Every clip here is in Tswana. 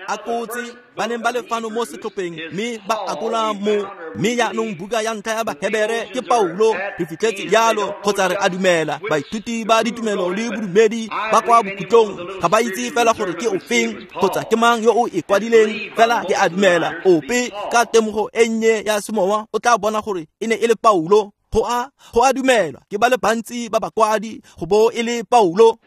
Akotse ba neng ba le fano mo setlhopheng mme ba akola mo mme jaanong buka ya ntlha ya Bahebere ke Paulo re fitlhetse jalo kgotsa re a dumela baithuti ba ditumelo le bodumedi ba kwa bokhutlong ga ba itse fela gore ke ofeng kgotsa ke mang yo o e kwadileng fela ke a dumela ope ka temogo e nnye ya semowa o tla bona gore e ne e le Paulo. Go a dumelwa ke ba le bantsi ba bakwadi go bo e le Paulo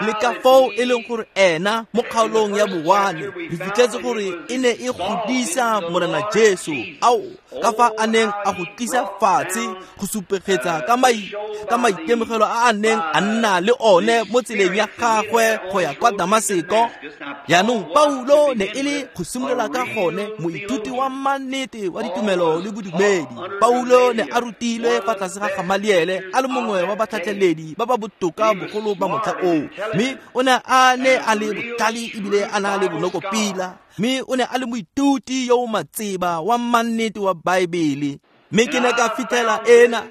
le ka foo e leng gore ena mo kgaolong ya bowane re fitlhetse gore e ne e godisa Morena Jesu ao ka fa a neng a go tlisa fatshe go supegetsa ka maitemogelo a a neng a nna le one mo tseleng ya gagwe go ya kwa Damaseko. Jaanong Paulo ne e le go simolola ka gone moithuti wa mannete wa ditumelo le bodumedi. Paulo ne a rutilwe fa tlase ga Gamaliele a le mongwe wa batlhatlheledi ba ba botoka bogolo ba motlha oo, mme o ne a ne a le botlhale ebile a na le bonokopila, mme o ne a le moithuti yo o matseba wa mannete wa Baebele. Mme ke ne ka fitlhela ena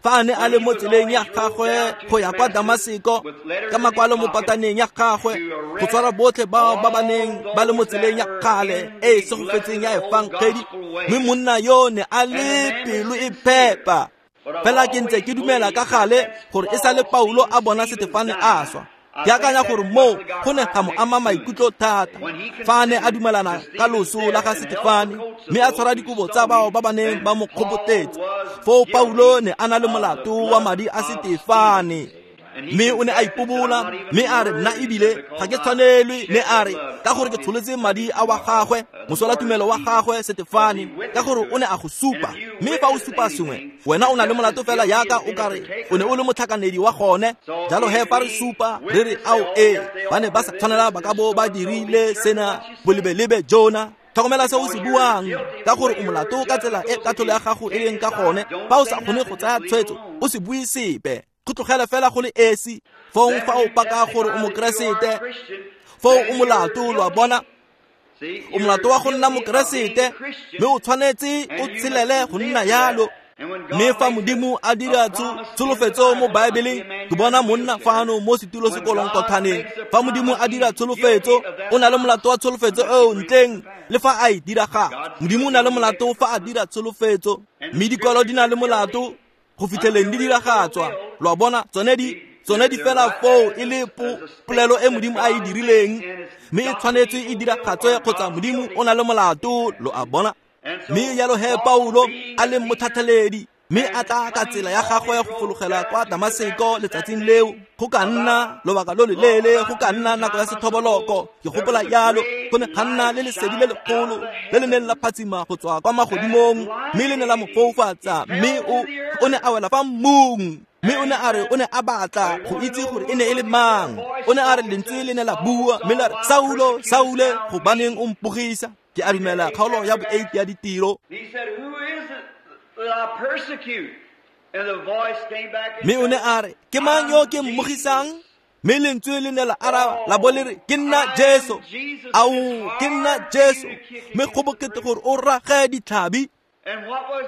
fa a ne a le mo tseleng ya gagwe go ya kwa Damaseko ka makwalo mo pataneng ya gagwe go tshwara botlhe bao ba ba neng ba le mo tseleng ya kgale e e segofetseng ya efangedi, mme monna yo ne a le pelo e phepa. Fela ke ntse ke dumela ka gale gore e sale Paulo a bona Setefane a swa. Ke akanya gore moo go ne ga mo ama maikutlo thata fa a ne a dumelana ka loso la ga Setefane mme a tshwara dikobo tsa bao ba ba neng ba mo kgobotetse. Foo Paulo ne a na le molato wa madi a Setefane, mme o ne a ipobola mme a re nna ebile ga ke tshwanelwe, ne a re ka gore ke tsholetse madi a wa gagwe mosola tumelo wa gagwe Setefane, ka gore o ne a go supa. Mme fa o supa sengwe wena o na le molato fela yaka o kare o ne o le motlhakanedi wa gone. Jalo he fa re supa re re ao ee ba ne ba sa tshwanela ba ka bo ba dirile sena bolebelebe jona. Tlhokomela se o se buang ka gore o molato ka tsela e katlholo ya gago e leng ka gone. Fa o sa kgone go tsaya tshwetso o se bue sepe, go tlogela fela go le esi. Fong fa o paka gore o mokeresete, foo o molato, lo a bona. O molato wa go nna mokeresete mme o tshwanetse o tshelele go nna yalo. Mme fa Modimo a dira tsholofetso mo Baebeleng, ke bona monna fano mo setulo sekolong kothaneng. Fa Modimo a dira tsholofetso, o na le molato wa tsholofetso eo ntleng le fa a e diragatsa. Modimo o na le molato fa a dira tsholofetso, mme dikwalo di na le molato go fitlheleng di diragatswa. Lo a bona, tsone di fela foo e le polelo e Modimo a e dirileng, mme e tshwanetse e diragatswe kgotsa Modimo o na le molato, lo a bona. Mme jalo he Paulo a le motlhatlheledi mme a tla ka tsela ya gagwe go fologela kwa Damaseko letsatsing leo, go ka nna lobaka lo leleele, go ka nna nako ya sethoboloko, ke gopola jalo, go ne ga nna le lesedi le legolo le le neng la phatsima go tswa kwa magodimong, mme le ne la mo foufatsa, mme o ne a wela fa mmung. Mme o ne a re o ne a batla go itse gore e ne e le mang. O ne a re lentswe le ne la bua mme la re, Saulo, Saule, gobaneng o mpogisa? Ke a dumela kgaolo ya bo-8 ya ditiro. Mme o ne a re, ke mang yo ke mmogisang? Mme lentswe le ne la araba la bo le re, ke nna Jesu. Ao, ke nna Jesu. Mme go bokete gore o rage ditlhabi.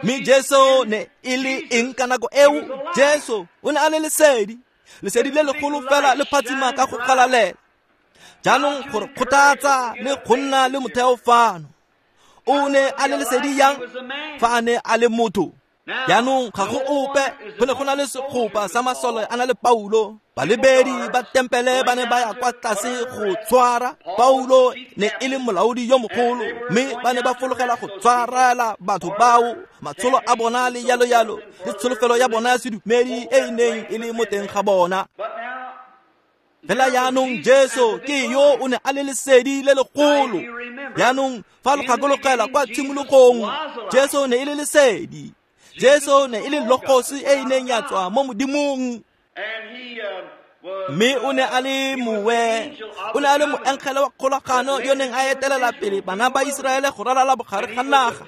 Mme Jesu ne e le eng ka nako eo? Jesu o ne a le lesedi, lesedi le legolo fela le phatsima ka go galalela. Jaanong gore kgothatsa le go nna le motheo fano. O ne a le lesedi yang fa a ne a le motho? Jaanong ga go ope, go ne go na le segopa sa masole a na le Paulo. Balebedi ba tempele ba ne ba ya kwa tlase go tshwara Paulo, ne e le molaodi yo mogolo, mme ba ne ba fologela go tshwarela batho bao matsholo a bona le yalo yalo le tsholofelo ya bona ya sedumedi e e neng e le mo teng ga bona. Fela jaanong Jesu ke yo o ne a le lesedi le legolo. Jaanong fa lo gakologela kwa tshimologong, Jesu ne e le lesedi. Jesu ne e le logosi e e neng ya tswa mo Modimong. Mme o ne a le mowe, o ne a le moengele wa kgolagano yo neng a etelela pele bana ba Iseraele go ralala bogare ga naga.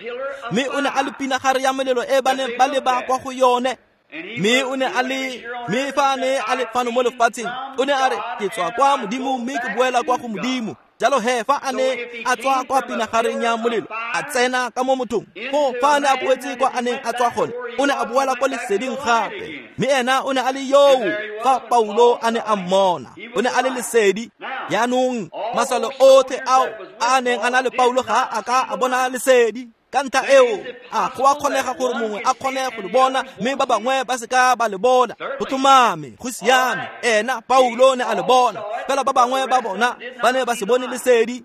Mme o ne a le pinagare ya molelo e ba neng ba leba kwa go yone. Mme o ne a le, mme fa a ne a le fano mo lefatsheng, o ne a re, ke tswa kwa Modimo mme ke boela kwa go Modimo. Jalo he fa a ne a tswa kwa pinagareng ya molelo a tsena ka mo mothong, foo fa a ne a boetse kwa a neng a tswa gone, o ne a boela kwa leseding gape. Mme ena o ne a le yoo fa Paulo a ne a mmona, o ne a le lesedi. Jaanong masole otlhe ao a neng a na le Paulo ga a ka a bona lesedi. Ka ntlha eo a go a kgonega gore mongwe a kgone go le bona mme ba bangwe ba seka ba le bona. Go tlhomame, go siame, ena Paulo ne a le bona, fela ba bangwe ba bona ba ne ba se bone lesedi.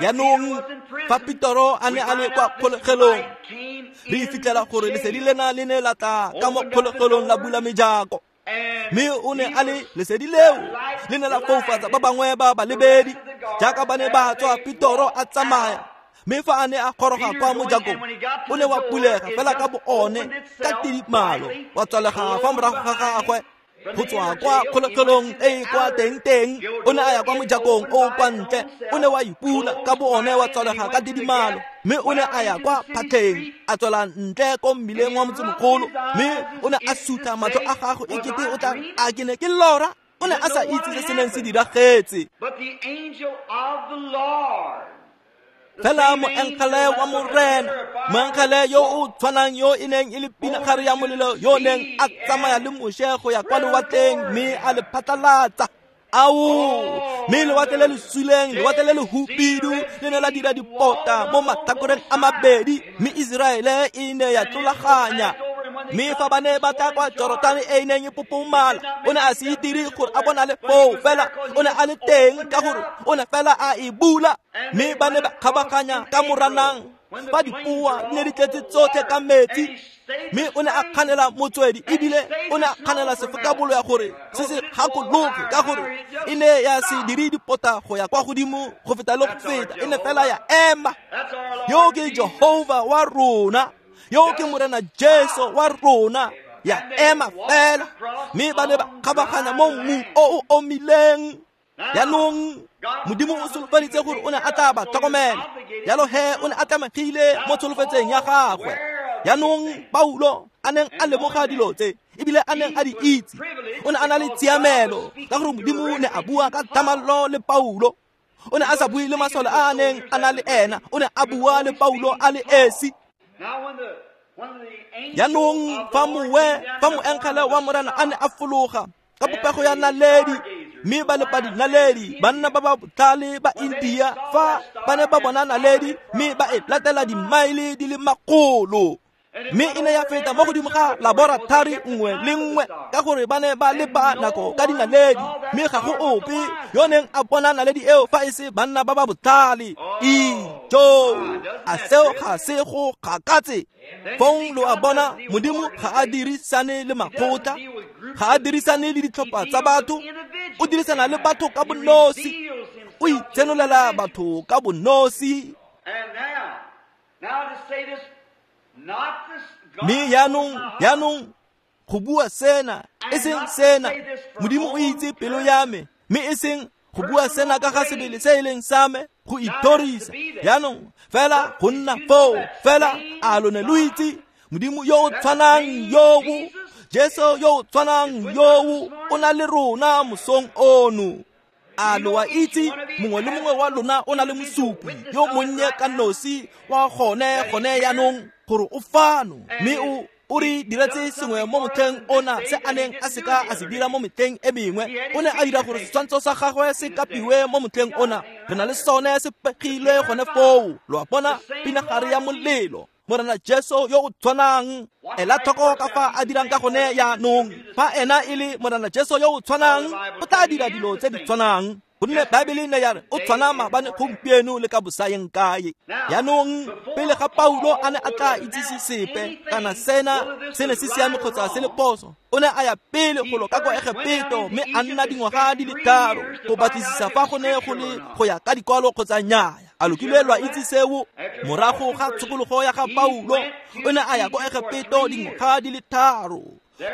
Jaanong fa Petoro a ne a le kwa kgolegelong, re fitlhela gore lesedi lena le ne la tla ka mo kgolegelong la bula mejako. Mme o ne a le lesedi leo le ne la foufatsa ba bangwe ba balebedi jaaka ba ne ba tswa Petoro a tsamaya. Mme fa a ne a goroga kwa mojakong, o ne wa bulega fela ka bo one ka tidimalo, wa tswalega fa morago ga gagwe. Go tswa kwa kgolegelong e e kwa teng-teng, o ne a ya kwa mojakong o kwa ntle, o ne wa ipula ka bo one wa tswalega ka tidimalo. Mme o ne a ya kwa phatlheng, a tswela ntle ko mmileng wa motsemogolo, mme o ne a sutla matlho a gagwe e kete o tla a ke ne ke lora. O ne a sa itse se se neng se diragetse. Fela moengele wa Morena, moengele yo o tshwanang yo e neng e le pinagare ya molelo yo neng a tsamaya le Moshe go ya kwa lewatleng mme a le phatlalatsa. Ao, mme lewatle le le suleng, lewatle le le hubidu le ne la dira dipota mo matlhakoreng a mabedi, mme Iseraele e ne ya tlolaganya. Mme fa ba ne ba tla kwa Jorotane e neng e popomala, o ne a se itire gore a bonale foo, fela o ne a le teng ka gore o ne fela a e bula. Mme ba ne ba kgabaganya ka moranang fa dipoa di ne di tletse tsotlhe ka metsi. Mme o ne a kganela motswedi, ebile o ne a kganela sefokabolo ya gore se se gakologe, ka gore e ne ya se dire dipota go ya kwa godimo go feta le go feta, e ne fela ya ema. Yo ke Jehova wa rona, yo ke Morena Jesu wa rona, ya ema fela. Mme ba ne ba kgabaganya mo mmung o o omileng. Jaanong Modimo o solofeditse gore o ne a tla ba tlhokomela, jalo he o ne a tlamegile mo tsholofetseng ya gagwe. Jaanong Paulo a neng a lemoga dilo tse ebile a neng a di itse, o ne a na le tshiamelo ka gore Modimo ne a bua ka thamallo le Paulo. O ne a sa bue le masole a a neng a na le ena, o ne a bua le Paulo a le esi. Jaanong fa moengele wa Morena a ne a fologa ka popego ya naledi, mme ba lepa dinaledi, banna ba ba botlhale ba India fa ba ne ba bona naledi mme ba e latela dimaele di le makgolo. Mme e ne ya feta mo godimo ga laboratori nngwe le nngwe ka gore ba ne ba lepa nako ka dinaledi, mme ga go ope yo neng a bona naledi eo fa e se banna ba ba botlhale. Ijo, a seo ga se go gakatse? Fong lo a bona, Modimo ga a dirisane le makgotla, ga a dirisane le ditlhopha tsa batho, o dirisana le batho ka bonosi, o itsenolela batho ka bonosi. Mme jaanong go bua sena, e seng sena, Modimo o itse pelo ya me, mme e seng go bua sena ka ga sebele se e leng sa me, go ithorisa. Jaanong fela go nna foo, fela a lo ne lo itse Modimo yo o tshwanang yoo, Jesu yo o tshwanang yoo o na le rona mosong ono. A lo a itse mongwe le mongwe wa lona o na le mosupi yo monnye ka nosi wa gone jaanong gore o fano, mme o re diretse sengwe mo motlheng ona se a neng a seka a se dira mo metlheng e mengwe. O ne a dira gore setshwantsho sa gagwe se kapiwe mo motlheng ona. Re na le sone se pegilwe gone foo. Lo a bona, pinagare ya molelo, Morena Jesu yo o tshwanang. Ela tlhoko ka fa a dirang ka gone jaanong. Fa ena e le Morena Jesu yo o tshwanang, o tla dira dilo tse di tshwanang, gonne Baebele ne ya re o tshwana maabane, gompieno le ka bosayeng kae. Jaanong pele ga Paulo a ne a tla itsise sepe kana sena se ne se siame kgotsa se le phoso, o ne a ya pele golo ka kwa Egepeto mme a nna dingwaga di le 3 go batlisisa fa go ne go le go ya ka dikwalo kgotsa nnyaya. A lo kile lwa itse seo? Morago ga tshokologo ya ga Paulo, o ne a ya ko Egepeto dingwaga di le 3.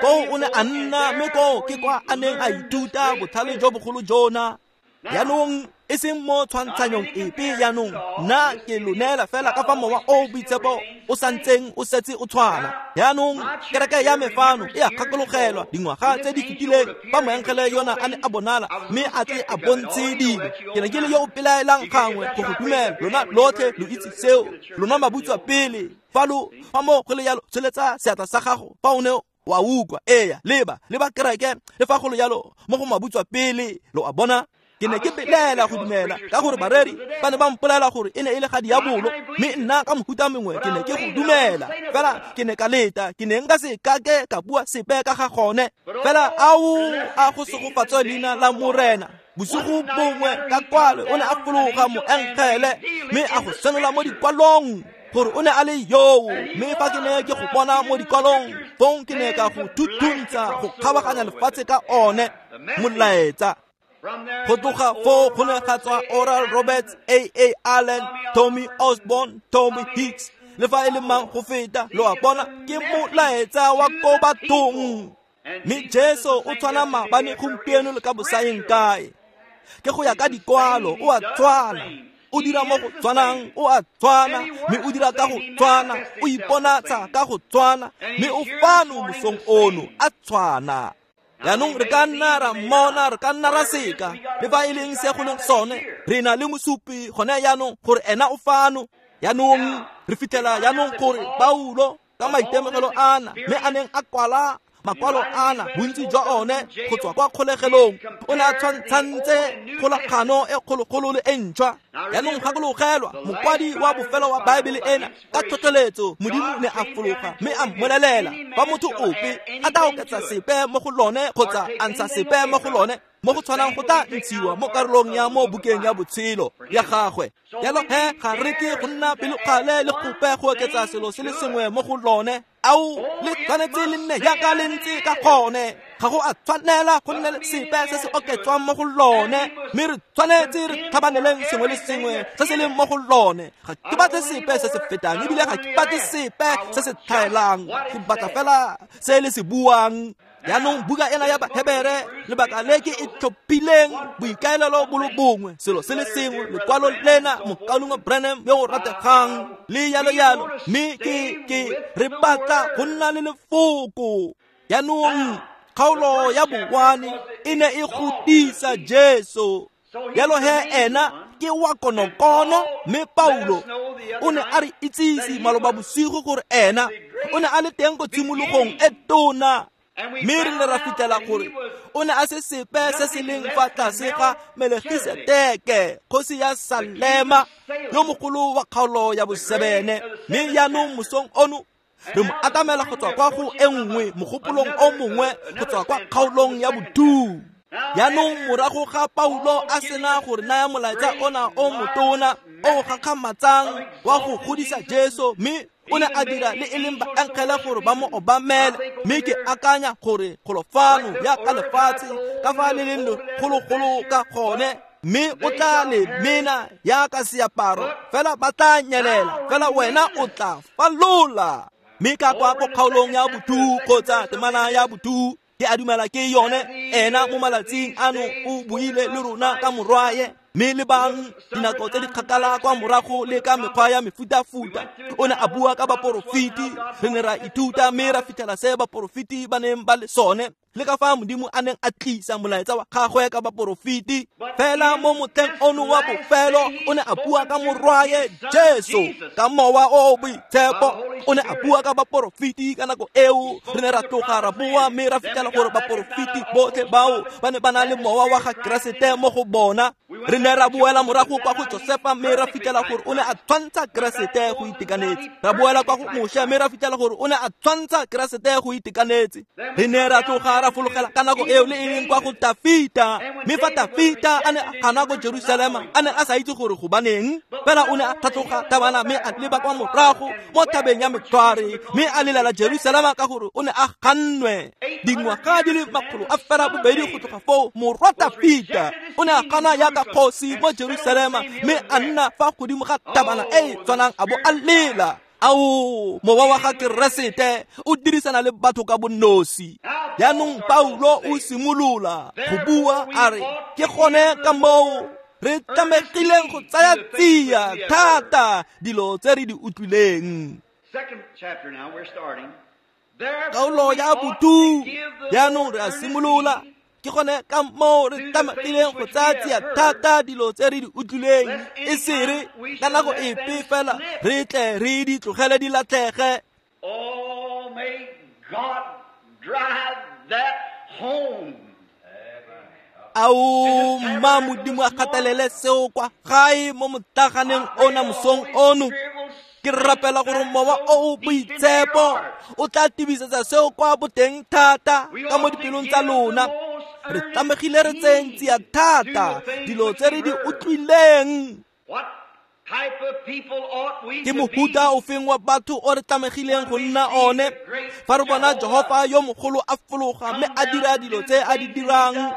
Koo o ne a nna, mme koo ke kwa a neng a ithuta botlhale jo bogolo jona. Jaanong e seng mo tshwantshanyong epe, jaanong nna ke lo neela fela ka fa mowa o boitshepo o santseng o setse o tshwana. Jaanong kereke ya me fano e a gakologelwa dingwaga tse di fetileng fa moengele yona a ne a bonala mme a tle a bontshe dilo. Ke ne ke le yo o pelaelang gangwe go go dumela, lona lotlhe lo itse seo, lona mabutswa pele. Fa lo fa mo go le yalo, tsholetsa seatla sa gago fa o ne wa utlwa. Eya, leba leba kereke le fa go le yalo mo go mabutswa pele, lo a bona. Ke ne ke belaela go dumela ka gore bareri ba ne ba mpolela gore e ne e le ga diabolo, mme nna ka mohuta mongwe ke ne ke go dumela. Fela ke ne ka leta, ke ne nka se kake ka bua sepe ka ga gone. Fela ao a go segofatswe leina la Morena. Bosigo bongwe ka kwalo o ne a fologa moengele mme a go senola mo dikwalong gore o ne a le yoo, mme fa ke ne ke go bona mo dikwalong, fong ke ne ka go thuthuntsha go kgabaganya lefatshe ka one molaetsa. Go tloga foo go ne ga tswa Oral Roberts, A.A. Allen, Tommy Osborne, Tommy Hicks, le fa e le mang go feta, lo a bona, ke molaetsa wa ko bathong. Mme Jesu o tshwana maabane, gompieno le ka bosaeng kae. Ke go ya ka dikwalo, o a tshwana, o dira mo go tshwanang, o a tshwana, mme o dira ka go tshwana, o iponatsa ka go tshwana, mme o fano mosong ono a tshwana. Jaanong re ka nna ra mmona, re ka nna ra seka, le fa e leng se go leng sone, re na le mosupi gone jaanong gore ena o fano. Jaanong re fitlhela jaanong gore Paulo ka maitemogelo ana mme a neng a kwala makwalo ana bontsi jwa one go tswa kwa kgolegelong, o ne a tshwantshantse kgolagano e kgologolo le e ntšhwa. Jaanong gakologelwa, mokwadi wa bofelo wa Baebele ena ka tlhotlheletso Modimo ne a fologa mme a mmolelela fa motho ope a tla oketsa sepe mo go lone kgotsa a ntsha sepe mo go lone mo go tshwanang go tla ntshiwa mo karolong ya mo bukeng ya botshelo ya gagwe. Jalo he ga re ke go nna pelokgale le gope go oketsa selo se le sengwe mo go lone. Ao le tshwanetse le nne jaaka le ntse ka gone, ga go a tshwanela go nne le sepe se se oketswang mo go lone, mme re tshwanetse re tlhabaneleng sengwe le sengwe se se leng mo go lone. Ga ke batle sepe se se fetang, ebile ga ke batle sepe se se tlhaelang, ke batla fela se le se buang. Jaanong buka ena ya Bahebere, lebaka le ke e tlhophileng boikaelelo bo le bongwe, selo se le sengwe, lekwalo lena mokaulengwe Branham yo o rategang le yalo yalo, mme ke re batla go nna le lefoko. Jaanong kgaolo ya bowane e ne e godisa Jesu. Jalo he ena ke wa konokono, mme Paulo o ne a re itsise maloba bosigo gore ena o ne a le teng ko tshimologong e tona. Mme re ne ra fitlhela gore o ne a se sepe se se leng fa tlase ga Melkisedeke, kgosi ya Salema, yo mogolo wa kgaolo ya bosebene. Mme jaanong mosong ono re mo atamela go tswa kwa go e nngwe mogopolong o mongwe go tswa kwa kgaolong ya botu. Jaanong morago ga Paulo a sena gore naya molaetsa ona o motona o gakgamatsang wa go godisa Jesu, mme o ne a dira le e leng baengele gore ba mo obamele. Mme ke akanya gore golofano ya ka lefatshe ka fa le leng legologolo ka gone, mme o tla le mena yaka seaparo, fela ba tla nyelela, fela wena o tla falola. Mme ka kwa ko kgaolong ya botu kgotsa temana ya botu, ke a dumela ke yone, ena mo malatsing ano o buile le rona ka morwaye. Mme le bang dinako tse di kgakala kwa morago le ka mekgwa ya mefutafuta o ne a bua ka baporofeti. Re ne ra ithuta mme ra fitlhela se baporofeti ba neng ba le sone, le ka fa Modimo a neng a tlisa molaetsa wa gagwe ka baporofeti. Fela mo motlheng ono wa bofelo o ne a bua ka morwaye Jesu ka mowa o boitshepo. O ne a bua ka baporofeti ka nako eo. Re ne ra tloga ra boa mme ra fitlhela gore baporofeti botlhe bao ba ne ba na le mowa wa ga Keresete mo go bona. Re ne ra boela morago kwa go Josefa mme ra fitlhela gore o ne a tshwantsha Keresete go itekanetse. Ra boela kwa go Moshe mme ra fitlhela gore o ne a tshwantsha Keresete go itekanetse. Re ne ra tloga ra fologela ka nako eo le e leng kwa go Tafita, mme fa Tafita a ne a gana ko Jerusalema, a ne a sa itse gore gobaneng, fela o ne a tlhatloga thabana mme a leba kwa morago mo thabeng ya Metlhware, mme a lelela Jerusalema ka gore o ne a gannwe. Dingwaga di le 802 go tloga foo, morwa Tafita o ne a gana yaka kgosi mo Jerusalema, mme a nna fa godimo ga thabana e e tshwanang a bo a lela. Ao, mowa wa ga Keresete o dirisana le batho ka bonosi. Jaanong Paulo o simolola go bua a re ke gone ka moo re tlamegileng go tsaya tsia thata dilo tse re di utlwileng. Kgaolo ya botu jaanong re a simolola. Ke gone ka moo re tlamegileng go tsaya tsia thata dilo tse re di utlwileng, e sere ka nako epe fela re tle re di tlogele di latlhege. Oh, may God drive that home. Ao, mma Modimo a gatelele seo kwa gae mo motlaganeng ona mosong ono. Ke rapela gore mowa o o boitshepo o tla tibisetsa seo kwa boteng thata ka mo dipelong tsa lona. Re tlamegile re tseyeng tsia thata dilo tse re di utlwileng. What type of people ought we Ke to mohuta be? ofeng wa batho o re tlamegileng go nna one fa re bona Jehofa yo mogolo a fologa mme a dira dilo tse a di dirang,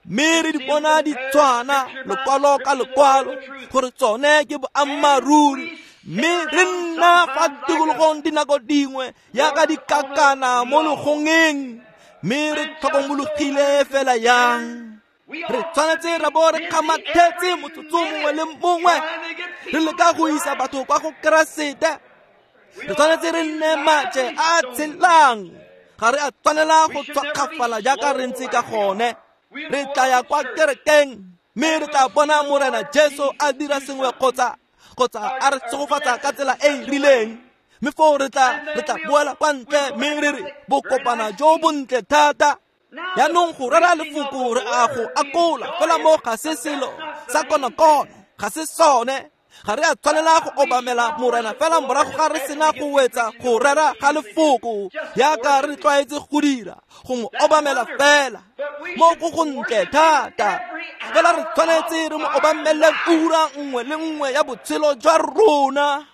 mme re di bona di tshwana lekwalo ka lekwalo gore tsone ke boammaaruri, mme re nna fa tikologong dinako dingwe yaka dikakana mo legongeng, mme re tlhokomologile fela yang. Re tshwanetse ra bo re kgamathetse motsotso mongwe le mongwe, re leka go isa batho kwa go Keresete. Re tshwanetse re nne maje a tshelang, ga re a tshwanela go tshwakgafala jaaka re ntse ka gone. Re tla ya kwa kerekeng mme re tla bona Morena Jesu a dira sengwe kgotsa a re tshegofatsa ka tsela e e rileng, mme foo re tla boela kwa ntle mme re re bokopana jo bontle thata. Jaanong go rera lefoko re a go akola fela mo ga se selo sa konokono, ga se sone. Ga re a tshwanela go obamela Morena fela morago ga re sena go wetsa go rera ga lefoko yaka re tlwaetse go dira, go mo obamela fela mo go gontle thata. Fela re tshwanetse re mo obamele ura nngwe le nngwe ya botshelo jwa rona.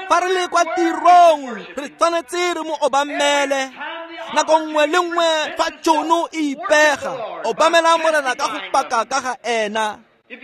Fa re le kwa tirong re tshwanetse re mo obamele nako nngwe le nngwe fa tšhono e ipega. Obamela Morena ka go paka ka ga ena.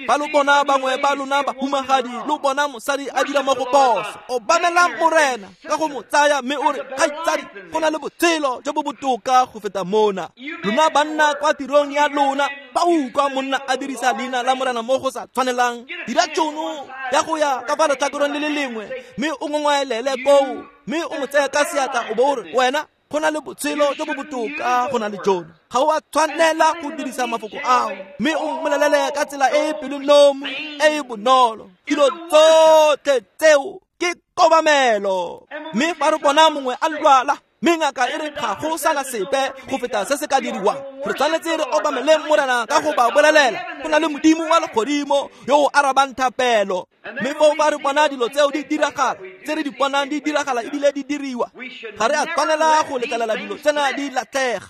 Fa lo bona bangwe ba lona bahumagadi, lo bona mosadi a dira mo go phoso, obamela Morena ka go mo tsaya mme o re kgaitsadi, go na le botshelo jo bo botoka go feta mona. Lona banna kwa tirong ya lona, ba utlwa monna a dirisa leina la Morena mo go sa tshwanelang, dira tšhono ya go ya ka fa letlhakoreng le le lengwe mme o ngongwaelele koo, mme o mo tseye ka seatla o bo o re wena go na le botshelo jo bo botoka go na le jono. Ga o a tshwanela go dirisa mafoko ao, mme o mmolelele ka tsela e e pelonomi e e bonolo. Dilo tsotlhe tseo ke kobamelo. Mme fa re bona mongwe a lwala mme ngaka e re ga go sana sepe go feta se se ka diriwang, re tshwanetse re obamele Morena ka go ba bolelela go na le Modimo wa legodimo yo o arabang thapelo. Mme foo fa re bona dilo tseo di diragala, tse re di bonang di diragala ebile di diriwa, ga re a tshwanela go letlelela dilo tsena di latlhega.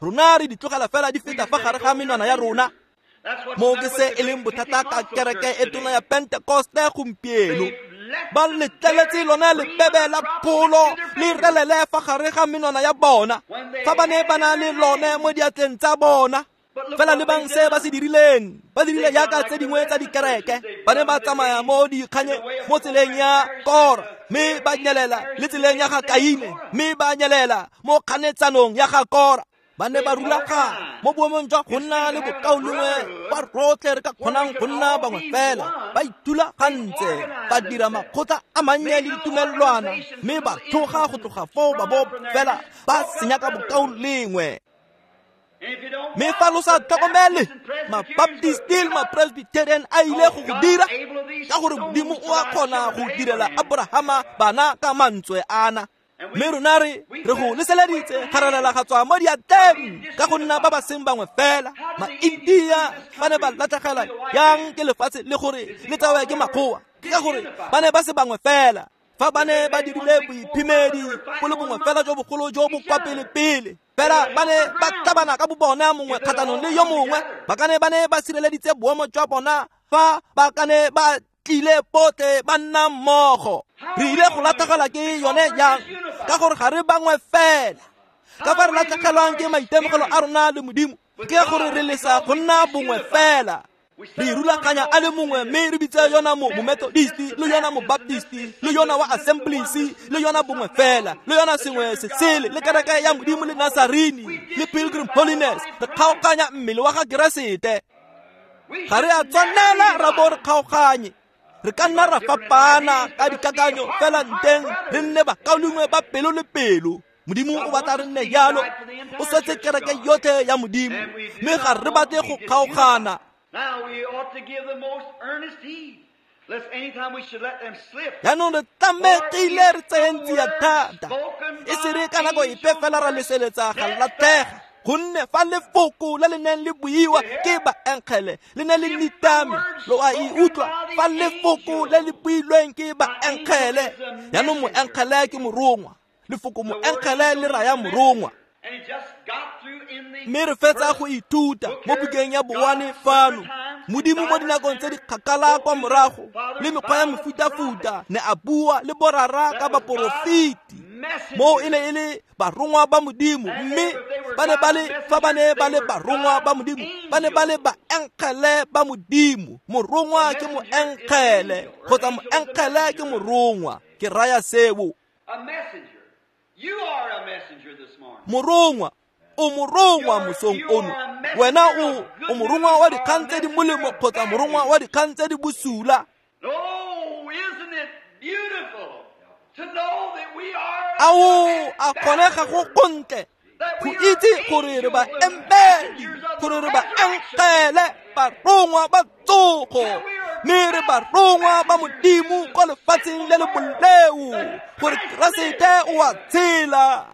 Rona re di tlogela fela di feta fa gare ga menwana ya rona. Mo ke se e leng bothata ka kereke e tona ya Pentekoste gompieno. Ba letleletse lona lebebe la pholo le relele fa gare ga menwana ya bona, fa ba ne ba na le lone mo diatleng tsa bona. Fela lebang se ba se dirileng, ba dirile yaka tse dingwe tsa dikereke. Ba ne ba tsamaya mo dikganye mo tseleng ya Kora, mme ba nyelela le tseleng ya ga Kaine, mme ba nyelela mo kganetsanong ya ga Kora. Ba ne ba rulagana mo boemong jwa go nna le bokaulengwe ba rotlhe re ka kgonang go nna bangwe fela. Ba ithulagantse, ba dira makgotla a mannye le ditumelelwana, mme ba tloga go tloga foo ba bo fela ba senya ka bokaulengwe. Mme fa lo sa tlhokomele, mabaptisti le mapresbyterian a ile go go dira, ka gore Modimo o a kgona go direla Abrahama bana ka mantswe ana. Mme rona re go leseleditse ga relela ga tswa mo diatleng ka go nna ba ba seng bangwe fela. Ma-India ba ne ba latlhegelwa yang ke lefatshe le gore le tsewe ke makgowa, ke ka gore ba ne ba se bangwe fela. Fa ba ne ba dirile boiphemedi bo le bongwe fela jo bogolo jo bo kwa pele-pele, fela ba ne ba tlhabana ka bobona mongwe kgatlhanong le yo mongwe. Ba ka ne ba ne ba sireleditse boemo jwa bona fa ba ka ne ba tlile botlhe ba nna mmogo. Re ile go latlhegelwa ke yone yang? Ka gore ga re bangwe fela. Ka fa re latlhegelwang ke maitemogelo a rona le Modimo, ke gore re lesa go nna bongwe fela. Re rulaganya a le mongwe mme re bitse yona mo-Methodist le yona mo-Baptist le yona wa Assemblies le yona bongwe fela le yona sengwe se sele le kereke ya Modimo le Nazarini le Pilgrim Holiness. Re kgaoganya mmele wa ga Keresete. Ga re a tshwanela ra bo re kgaoganye. Re ka nna ra fapana ka dikakanyo fela nteng re nne bakaulengwe ba pelo le pelo. Modimo o batla re nne jalo, o swetse kereke yotlhe ya Modimo, mme ga re batle go kgaogana. Jaanong re tlamegile re tseyeng tsia thata, e se re ka nako epe fela ra leseletsa ga latlhega. Gonne fa lefoko le le neng le buiwa ke baenkgele le ne le nitame, lo a e utlwa. Fa lefoko le le builweng ke baenkgele, jaanong moenkgele ke morongwa, lefoko moenkgele le raya morongwa. Mme re fetsa go ithuta mo bukeng ya bowane fano. Modimo mo dinakong tse di kgakala kwa morago le mekgwa ya mefutafuta ne a bua le borara ka baporofeti. Moo e ne e le barongwa ba Modimo, mme ba ne ba le fa ba ne ba le barongwa ba Modimo, ba ne ba le baenkgele ba Modimo. Morongwa ke moenkgele kgotsa moenkgele ke morongwa, ke raya seo. Morongwa, o morongwa mosong ono. Wena o morongwa wa dikgang tse di molemo kgotsa morongwa wa dikgang tse di bosula. Ao a kgonega go gontle go itse gore re baembedi, gore re baenkgele, barongwa ba tsogo, mme re barongwa ba Modimo kwa lefatsheng le le boleu, gore Keresete o a tshela.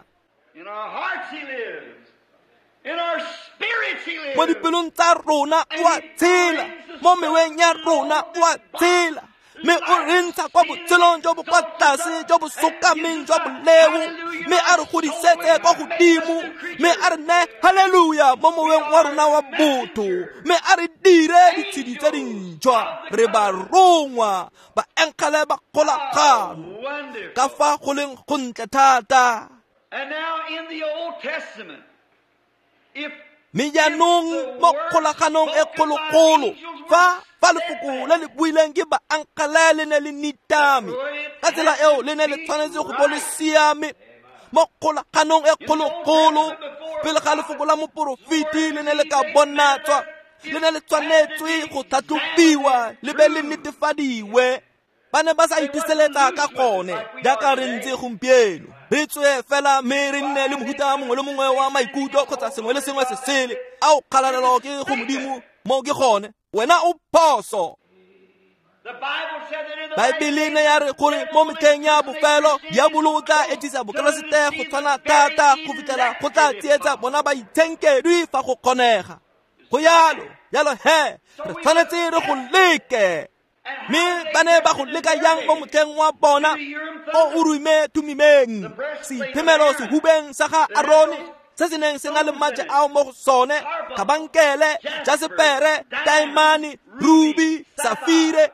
Mo dipelong tsa rona o a tshela, mo meweng ya rona o a tshela, mme o re ntsha kwa botshelong jo bo kwa tlase jo bo sokameng jwa boleu, mme a re godisetse kwa godimo, mme a re neye haleluya mo moweng wa rona wa botho, mme a re dire ditshedi tse dintšhwa. Re barongwa, baenkgele ba kgolagano, ka fa go leng gontle thata. Mme jaanong mo kgolaganong e kgologolo, fa lefoko le le buileng ke baenkgele le ne le nitame, ka tsela eo le ne le tshwanetse go bo le siame. Mo kgolaganong e kgologolo, pele ga lefoko la moporofeti le ne le ka bonatswa, le ne le tshwanetswe go tlhatlhobiwa le be le netefadiwe. Ba ne ba sa ituseletsa ka gone jaaka re ntse gompieno. Re tswe fela mme re nne le mohuta mongwe le mongwe wa maikutlo kgotsa sengwe le sengwe se sele. Ao kgalalelo ke go Modimo, mo ke gone. Wena o phoso. Baebele ne ya re gore mo metlheng ya bofelo diabolo o tla etsisa bokeresete go tshwana thata go fitlhela go tla tsietsa bona baitshenkedwi fa go kgonega. Go yalo, yalo he, re tshwanetse re go leke. Mme ba ne ba go leka yang mo motlheng wa bona o Urime Thumimeng, seiphemelo sehubeng sa ga Arone se se neng se na le maje ao mo go sone, kabankele, jasepere, taemane, ruby, safire,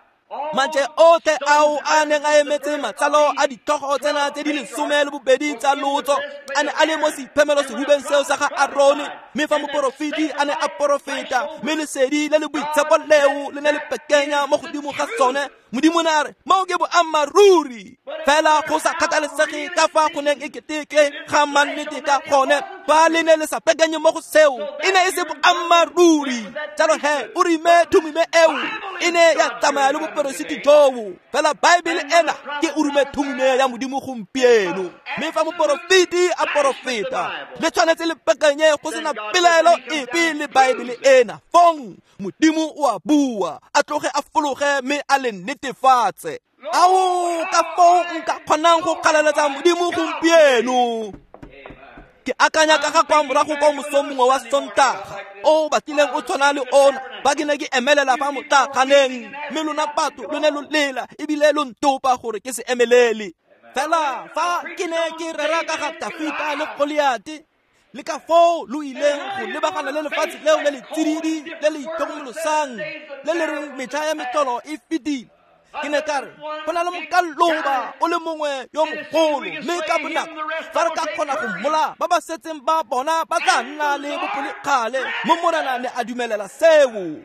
maje otlhe ao a neng a emetse matsalo a ditlhogo tsena tse di 12 tsa lotso a ne a le mo seiphemelo sehubeng seo sa ga Arone. Mme fa moporofeti a ne a porofeta, mme lesedi le le boitshepo leo le ne le pekenya mo godimo ga sone, Modimo ne a re moo ke boammaaruri. Fela go sa kgathalesege ka fa go neng e keteke ga mannete ka gone, fa le ne le sa pekanye mo go seo, e ne e se boammaaruri. Jalo he Urime Thumime eo e ne ya tsamaya le boperesiti joo. Fela Baebele ena ke Urime Thumime ya Modimo gompieno. Mme fa moporofeti a porofeta, le tshwanetse le pekanye go sena pelaelo epe le Baebele ena. Fong Modimo o a bua, a tloge a fologe mme a le netefatse. Ao ka foo nka kgonang go kgalaletsa Modimo gompieno. Ke akanya ka ga kwa morago kwa mosong mongwe wa Sontaga o batlileng o tshwana le ona, ba ke ne ke emelela fa motlaganeng, mme lona batho lo ne lo lela ebile lo ntopa gore ke se emelele. Fela fa ke ne ke rera ka ga Tafita le Goliate, le ka foo lo ileng go lebagana le lefatshe leo le le tsididi le le itlhokomolosang le le reng metlha ya metlolo e fetile, ke ne ka re go na le mokaloba o le mongwe yo mogolo, mme ka bonako fa re ka kgona go mmola, ba ba setseng ba bona ba tla nna le bopelokgale. Mo Morena ne a dumelela seo.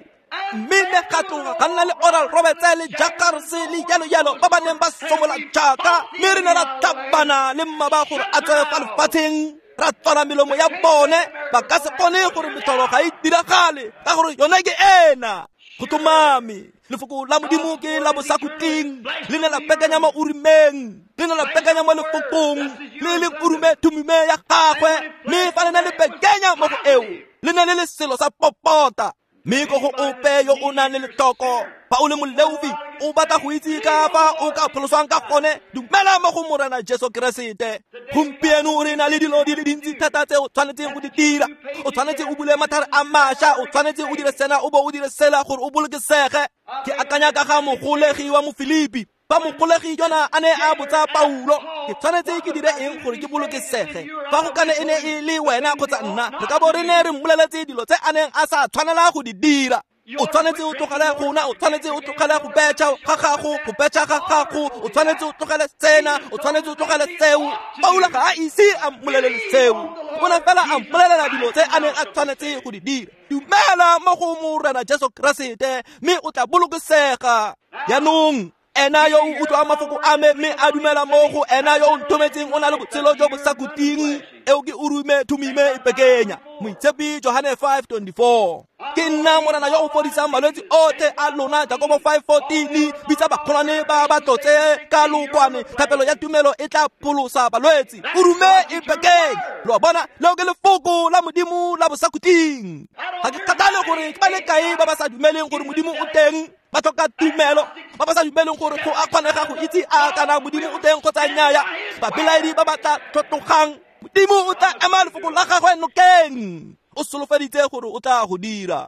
Mme ne ga tloga ga nna le Oral Roberts le Jackers le jalo jalo ba ba neng ba somola jaaka, mme re ne ra tlhabana le mmaba gore a tswe fa lefatsheng, ra tswala melomo ya bone. Ba ka se kgone gore metlholo ga e diragale ka gore yone ke ena. Go tlhomame lefoko la Modimo ke la bosakhutleng, le ne la pekanya mo urimeng, le ne la pekanya mo lefokong le le urume thumime ya gagwe, mme fa le ne le pekenya mo go eo le ne le le selo sa popota. Mme ko go ope yo o nang le letlhoko, fa o le moleofi o batla go itse ka fa o ka pholoswang ka gone, dumela mo go Morena Jesu Keresete. Gompieno re na le dilo di le dintsi thata tse o tshwanetseng go di dira. O tshwanetse o bule mathare a mašwa, o tshwanetse o dire sena o bo o dire sela gore o bolokesege. Ke akanya ka ga mogolegi wa Mofilipi. Fa mogolegi yona a ne a botsa Paulo, ke tshwanetse ke dire eng gore ke bolokesege? Fa go kane e ne e le wena kgotsa nna, re ka bo re ne re mmoleletse dilo tse a neng a sa tshwanela go di dira. O tshwanetse o tlogele go nwa, o tshwanetse o tlogele go betšha ga gago, go betšha ga gago, o tshwanetse o tlogele sena, o tshwanetse o tlogele seo. Paulo ga a ise a mmolelele seo, o ne fela a mmolelela dilo tse a neng a tshwanetse go di dira. Dumela mo go Morena Jesu Keresete mme o tla bolokesega. Jaanong ena yo o utlwang mafoko a me mme a dumela mo go ena yo o nthometseng o na le botshelo jo bo sa khutleng. Eo ke urume thumime e pekenya. Moitshepi Johane 5:24. Ke nna Morena yo o fodisang malwetse otlhe a lona. Jakobo 5:14. Bitsa bagolwane ba ba tlotse ka lokwane, thapelo ya tumelo e tla pholosa balwetse. Urume e pekenya. Lo a bona, leo ke lefoko la Modimo la bosakhutleng. Ga ke kgathale gore ke ba le kae ba ba sa dumeleng gore Modimo o teng, ba tlhoka tumelo, ba ba sa dumeleng gore go a kgonega go itse a kana Modimo o teng kgotsa nnyaya, babelaedi ba ba tla tlotlogang, Modimo o tla ema lefoko la gagwe nokeng. O solofeditse gore o tla go dira.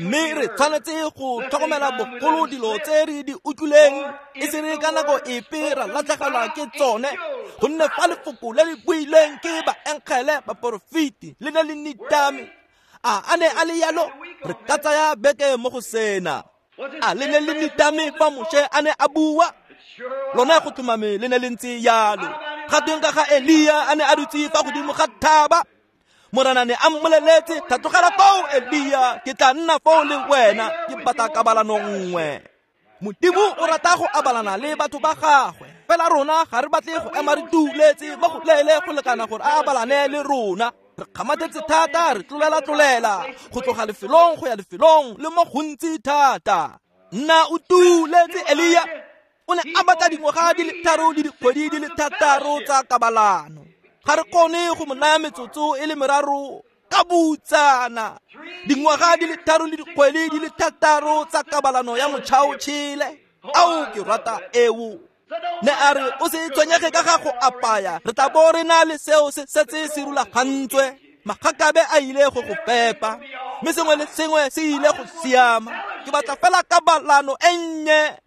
Mme re tshwanetse go tlhokomela bogolo dilo tse re di utlwileng, e se re ka nako epe ra latlhegelwa ke tsone, gonne fa lefoko le le builweng ke baengele baporofeti le ne le nitame, a ne a le yalo, re ka tsaya beke mo go sena. A le ne le nitame fa Moshe a ne a bua? Lona go tlhomame le ne le ntse yalo. Ga tweng ka ga Elia a ne a dutse fa godimo ga thaba? Morena ne a mmoleletse, tlhatlogela foo Elia, ke tla nna foo le wena, ke batla kabalano nngwe. Modimo o rata go abalana le batho ba gagwe, fela rona ga re batle go ema re tuletse mo go leele go lekana gore a abalane le rona. Re kgamathetse thata, re tlolela-tlolela go tloga lefelong go ya lefelong le mo gontsi thata. Nna o tuletse Elia, o ne a batla dingwaga di le 3 le dikgwedi di le 6 tsa kabalano. Ga re kgone go mo naya metsotso e le 3 ka butsana. Dingwaga di le 3 le dikgwedi di le 6 tsa kabalano ya motšhaotšhele. Ao, ke rata eo. Ne a re o se tshwenyege ka ga go apaya, re tla bo re na le seo se setse se rulagantswe. Magakabe a ile go go fepa, mme sengwe le sengwe se ile go siama. Ke batla fela kabalano e nnye.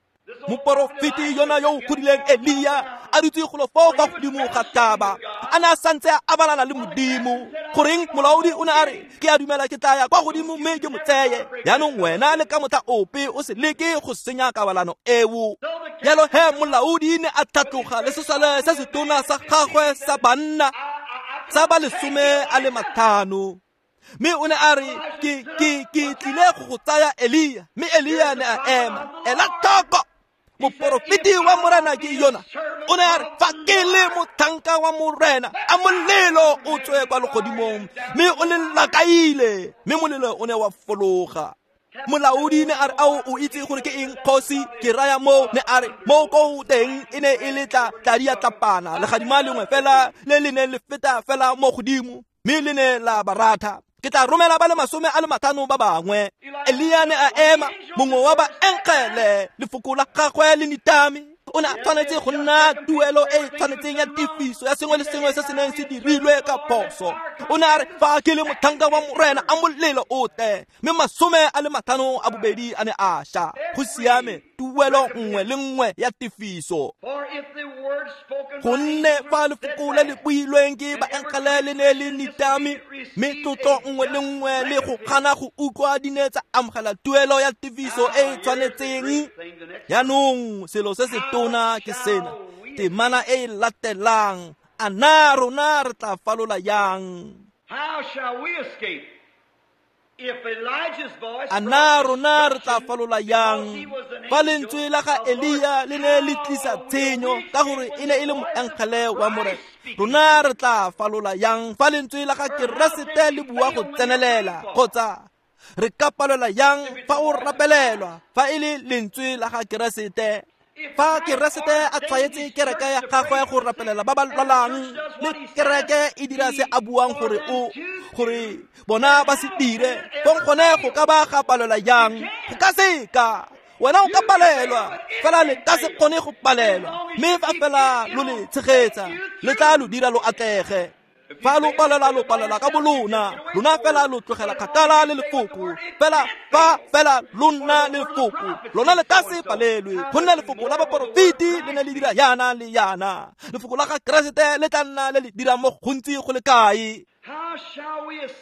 Moporofeti yona yo o godileng Elia a dutse golo foo fa godimo ga thaba, a ne a santse a abalana le Modimo. Goreng molaodi o ne a re, ke a dumela ke tla ya kwa godimo mme ke mo tseye. Jaanong wena le ka motlha ope o se leke go senya kabalano eo. Jalo he molaodi ne a tlhatloga le sesole se setona sa gagwe sa banna sa ba 15. Mme o ne a re, ke tlile go go tsaya Elia. Mme Elia ne a ema. Ela tlhoko, moporofeti wa Morena ke yona. O ne a re, fa ke le motlhanka wa Morena, a molelo o tswe kwa legodimong, mme o le lakaile. Mme molelo o ne wa fologa. Molaodi ne a re, ao o itse gore ke eng kgosi? Ke raya moo. Ne a re, mo ko teng e ne e le tladi ya tlapana, legadima lengwe fela le le neng le feta fela mo godimo, mme le ne la ba ratha. Ke tla romela ba le 50 ba bangwe. Elia ne a ema, mongwe wa baengele, lefoko la gagwe le nitame. O ne a tshwanetse go nna tuelo e tshwanetseng ya tefiso ya sengwe le sengwe se se neng se dirilwe ka phoso. O ne a re, fa ke le motlhanka wa Morena, a molelo o tle. Mme 52 a ne a ša. Go siame, tuelo nngwe le nngwe ya tefiso. Gonne fa lefoko le le builweng ke baengele le ne le nitame, mme tlotlo nngwe le nngwe le go gana go utlwa di ne tsa amogela tuelo ya tefiso e e tshwanetseng. Jaanong selo se se tona ke sena, temana e e latelang, a na rona re tla falola yang? How shall we escape? A na rona re tla falola yang fa lentswe la ga Elia le ne le tlisa tshenyo ka gore e ne e le moengele wa Morena? Rona re tla falola yang fa lentswe la ga Keresete le bua go tsenelela? Kgotsa re ka palelwa yang fa o rapelelwa fa e le lentswe la ga Keresete? Fa Keresete a tshwaetse kereke ya gagwe go rapelela ba ba lwalang, le kereke e dira se a buang gore o gore bona ba se dire, fong gone go ka ba ga palelwa yang? Go ka seka. Wena o ka palelwa, fela le ka se kgone go palelwa, mme fa fela lo le tshegetsa, le tla lo dira lo atlege. Fa lo palelwa, lo palelwa ka bolona, lona fela lo tlogela kgakala le lefoko. Fela fa fela lo nna lefoko, lona le ka se palelwe, gonne lefoko la baporofeti le ne le dira yana le yana. Lefoko la ga Keresete le tla nna le le dira mo gontsi go le kae?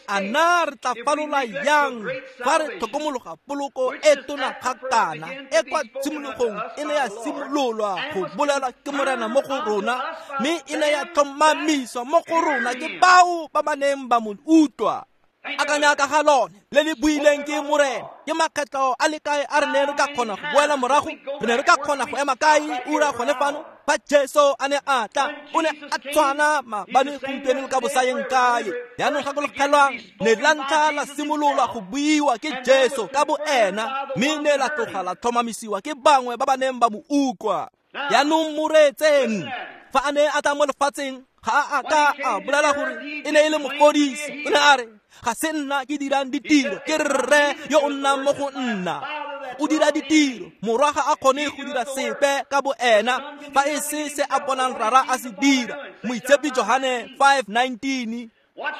A na re tla falola yang fa re tlhokomologa poloko e tona ga kana e kwa tshimologong e ne ya simololwa go bolelwa ke Morena mo go rona, mme e ne ya tlhomamiswa mo go rona ke bao ba ba neng ba mo utlwa? Akanya ka ga lone le le buileng ke Morena. Ke makgetlo a le kae a re ne re ka kgona go boela morago? Re ne re ka kgona go ema kae ura gone fano? Fa Jesu a ne a tla, o ne a tshwana maabane, gompieno le ka bosayeng kae. Jaanong gakologelwang, ne la ntlha la simololwa go buiwa ke Jesu ka boena, mme ne la tloga la tlhomamisiwa ke bangwe ba ba neng ba mo utlwa. Jaanong mo reetseng, fa a ne a tla mo lefatsheng, ga a ka a bolela gore e ne e le mofodisi. O ne a re, ga se nna ke dirang ditiro, ke rre yo o nnang mo go nna. O dira ditiro. Morwa ga a kgone go dira sepe ka boena fa e se se a bonang rara a se dira. Moitshepi Johane 5:19.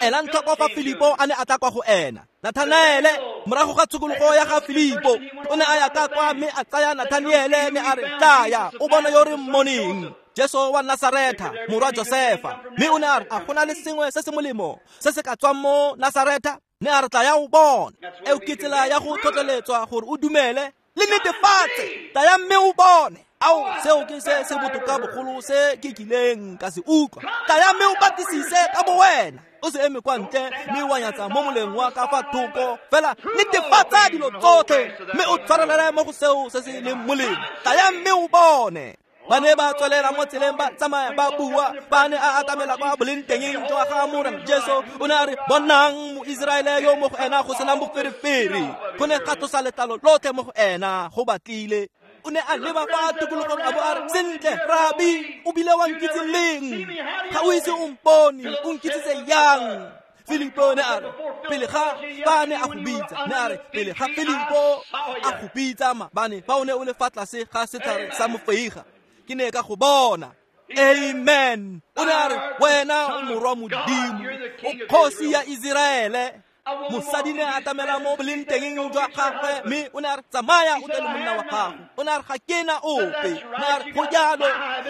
Elang tlhoko fa Filipo a ne a tla kwa go ena. Nathanaele, morago ga tshokologo ya ga Filipo, o ne a ya ka kwa mme a tsaya Nathaniele ne a re, tlaya o bona yo re mmoneng, Jesu wa Nasaretha, morwa Josefa. Mme o ne a re, a gona le sengwe se se molemo se se ka tswang mo Nasaretha? Ne a re, tla ya o bona. Eo ke tsela ya go tlhotlheletswa gore o dumele le netefatse. Tlaya mme o bone. Ao, seo ke se se botoka bogolo se ke kileng ka se utlwa. Tlaya mme o batlisise ka bo wena. O se eme kwa ntle mme wa nyatsa mo moleng wa ka fa thoko. Fela netefatsa dilo tsotlhe mme o tshwarelele mo go seo se se leng molemo. Tlaya mme o bone. Ba ne ba tswelela mo tseleng ba tsamaya ba bua. Ba ne a atamela kwa bolengtengeng jwa ga Morena Jesu. O ne a re, bonang Moiseraele yo mo go ena go senang boferefere. Go ne ga tlosa letlalo lotlhe mo go ena go batlile. O ne a leba fa tikologong a bo a re, sentle rabi, o bile wa nkitse leng? Ga o ise o mpone, o nkitsitse yang? Filipo ne a re, pele ga ba ne a go bitsa, ne a re, pele ga Filipo a go bitsa maabane fa o ne o le fa tlase ga setlhare sa mofeiga, ke ne ka go bona. Amen. O ne a re, wena o morwa Modimo, o kgosi ya Iseraele. Mosadi ne a atamela mo bolengtengeng jwa gagwe mme o ne a re, tsamaya o tle le monna wa gago. O ne a re, ga ke na ope. Ne a re, go jalo,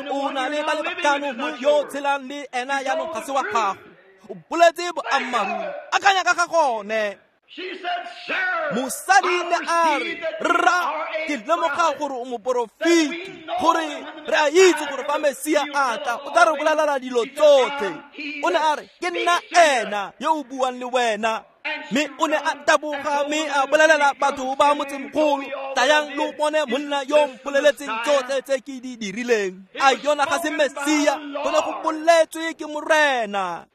o na le ba le batlhano, mme yo tshelang le ena jaanong ga se wa gago. O boletse boammaaruri. Akanya ka ga gone. Mosadi ne a re, rra, ke lemoga gore o moporofeti, gore re a itse gore fa Mesia a tla, o tla re bolelela dilo tsotlhe. O ne a re, ke nna ena yo o buang le wena. Mme o ne a taboga mme a bolelela batho ba motsemogolo, tlayang lo bone monna yo mpoleletseng tsotlhe tse ke di dirileng. A yona ga se Mesia? Go ne go boletswe ke Morena.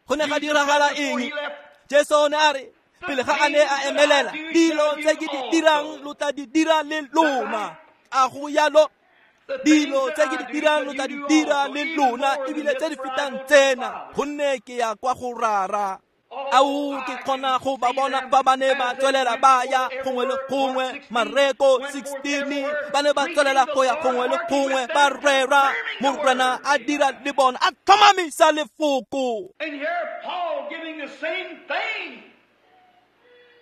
Go ne ga diragala eng? Jesu o ne a re, pele ga a ne a emelela, dilo tse ke di dirang lo tla di dira le lona. A go yalo? Dilo tse ke di dirang lo tla di dira le lona, ebile tse di fetang tsena, gonne ke ya kwa go Rara. Ao, ke kgona go ba bona ba ba ne ba tswelela ba ya gongwe le gongwe. Mareko 16, ba ne ba tswelela go ya gongwe le gongwe ba rera. Morena a dira le bona, a tlhomamisa lefoko.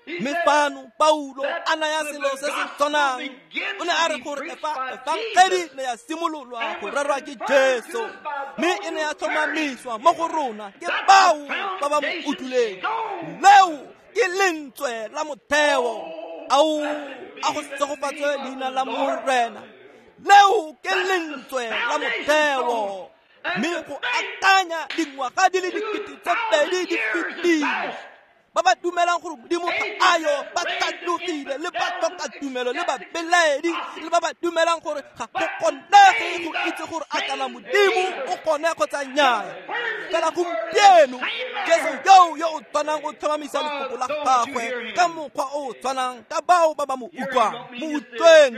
Mme fano Paulo a naya selo se se tshwanang. O ne a re gore efangedi ne ya simololwa go rerwa ke Jesu, mme e ne ya tlhomamiswa mo go rona ke bao ba ba mo utlwileng. Leo ke lentswe la motheo. Ao, a go segofatswe leina la Morena. Leo ke lentswe la motheo. Mme go akanya dingwaga di le 2000 di fetile, Ba ba dumelang gore Modimo ga ayo, ba tlhatlogile, le ba tlhoka tumelo, le ba belaedi, le ba ba dumelang gore ga go kgonege go itse gore a kana Modimo o kgone kgotsa nnyaya. Fela gompieno Jesu yo o tshwanang o tlhomamisa lefoko la gagwe ka mokgwa o o tshwanang ka bao ba ba mo utlwang. Mo utlweng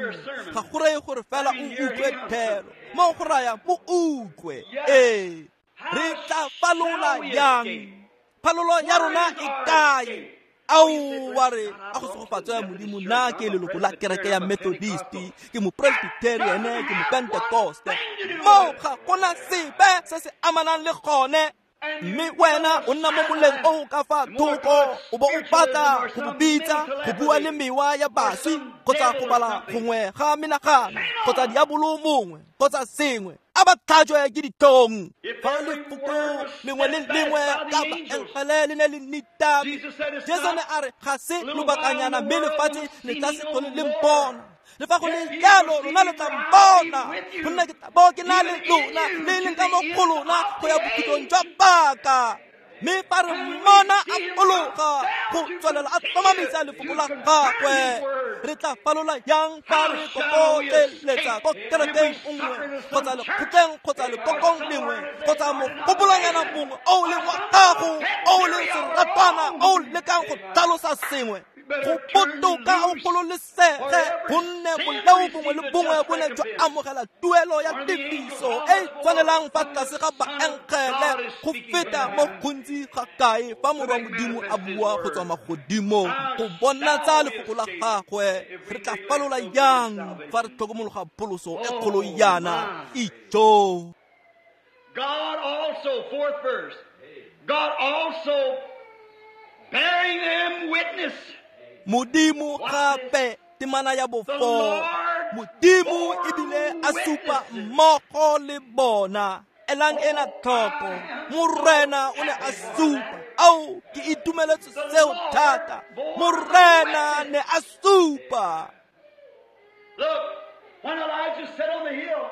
ga go reye gore fela o utlwe thero, mo go raya mo utlwe. Ee, re tla falola yang? Phalolo ya rona e kae? Ao, wa re a go segofatso ya Modimo, nna ke leloko la kereke ya Methodist, ke mopresbyterian, ke mopentecoste. Mo ga gona sepe se se amanang le gone. Mme wena o nna mo moleng o ka fa thoko, o bo o batla go bo bitsa go bua le mewa ya baswi, kgotsa go bala gongwe ga menagano, kgotsa diabolo mongwe, kgotsa sengwe. A ba tlhajwe ke ditlhong. Fa lefoko lengwe le lengwe ka baengele le ne le nitame, Jesu ne a re ga se lobakanyana mme lefatshe le tla se tlhole le mpona. Le fa go le jalo lona le tla mpona, gonne ke tla bo ke na le lona, le leng ka mo go lona go ya bokhutlong jwa paka. Mme fa re mmona a fologa go tswelela a tlhomamisa lefoko la gagwe, re tla falola yang fa re kokoteletsa ko kerekeng nngwe, kgotsa lekgotleng, kgotsa lekokong lengwe, kgotsa mogopolonyana mongwe o o leng wa gago, o o leng seratwana, o o lekang go tlhalosa sengwe? Go botoka o gololesege, gonne boleo bongwe le bongwe bo ne jwa amogela tuelo ya tefiso e e tshwanelang fa tlase ga baengele, go feta mo gontsi ga kae fa Morwa Modimo a bua go tswa magodimong go bonatsa lefoko la gagwe. Re tla falola yang fa re tlhokomologa pholoso e kgolo yana? Ijo. God also, fourth verse, God also bearing them witness. Modimo gape, temana ya bofo, Modimo ebile a supa mmogo le bona. Elang ena tlhoko, Morena o ne a supa. Ao, ke itumeletse seo thata. Morena ne a supa. Look, when Elijah sat on the hill,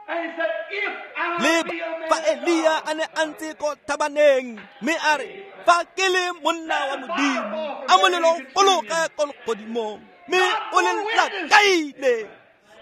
and he said, if I be a man fa Elia a ne a ntse ko thabaneng, mme a re, fa ke le monna wa Modimo, a molelo o fologe ko legodimong, mme o le lakaile.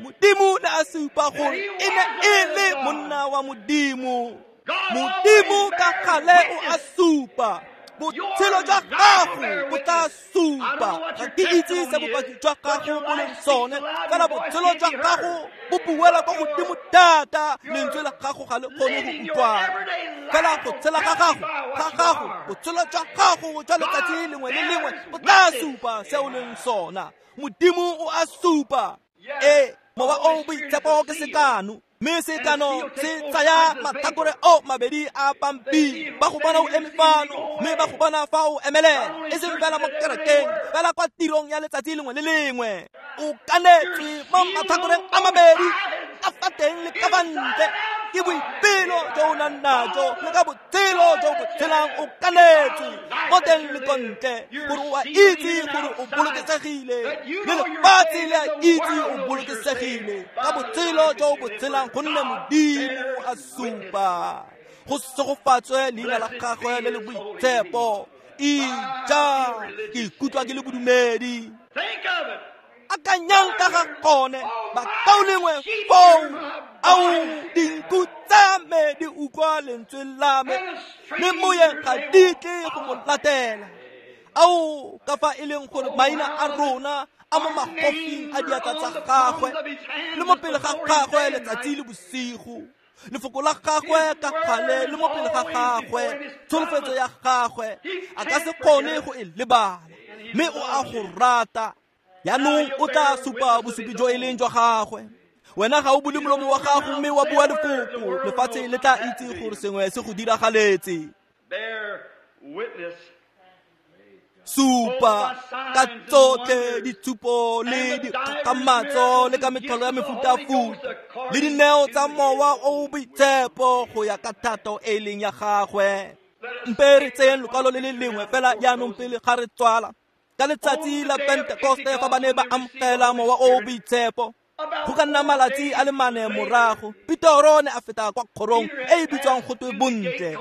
Modimo ne a supa gore e ne e le monna wa Modimo. Modimo ka gale o a supa. Botshelo jwa gago bo tla supa. Ga ke itse se bopaki jwa gago bo leng sone, fela botshelo jwa gago bo buela kwa godimo thata, lentswe la gago ga le kgone go utlwana. Fela go tshela ga gago, botshelo jwa gago jwa letsatsi lengwe le lengwe bo tla supa se o leng sona. Modimo o a supa. Ee, mowa o boitshepo ke sekano, mme sekano se tsaya matlhakore o mabedi a pampiri. Ba go bona o eme fano, mme ba go bona fa o emelela, e seng fela mo kerekeng, fela kwa tirong ya letsatsi lengwe le lengwe. O kanetswe mo matlhakoreng a mabedi, ka fa teng le ka fa ntle. Ke boipelo jo o nang najo, le ka botshelo jo bo tshelang o kanetswe mo teng le ko ntle, gore o a itse gore o bolokesegile, le lefatshe le a itse o bolokesegile ka botshelo jo bo tshelang, gonne Modimo a supa. Go segofatswe leina la gagwe le le boitshepo. Ija, ke ikutlwa ke le bodumedi. Akanyang ka ga gone, bakaulengwe foo. Ao, dinku tsa me di utlwa lentswe la me, mme moyeng ga di tle go mo latela. Ao, ka fa e leng gore maina a rona a mo magofing a diatla tsa gagwe, le mo pele ga gagwe letsatsi le bosigo. Lefoko la gagwe ka gale le mo pele ga gagwe, tsholofetso ya gagwe a ka se kgone go e lebala, mme o a go rata. Yaanong o tla supa bosupi jo e leng jwa gagwe. Wena ga o bule molomo wa gago mme wa bua lefoko, lefatshe le tla itse gore sengwe se go diragaletse. Supa ka tsotlhe ditshupo le dikgakgamatso le ka metlholo ya mefutafuta le dineo tsa mowa o boitshepo go ya ka thato e leng ya gagwe. Mpe re tseyeng lokwalo le le lengwe fela jaanong pele ga re tswala. Ka letsatsi la Pentekoste fa ba ne ba amogela mowa o boitshepo, Go ka nna malatsi a le mane morago, Petoro ne a feta kwa kgorong e e bitswang go twe Bontle.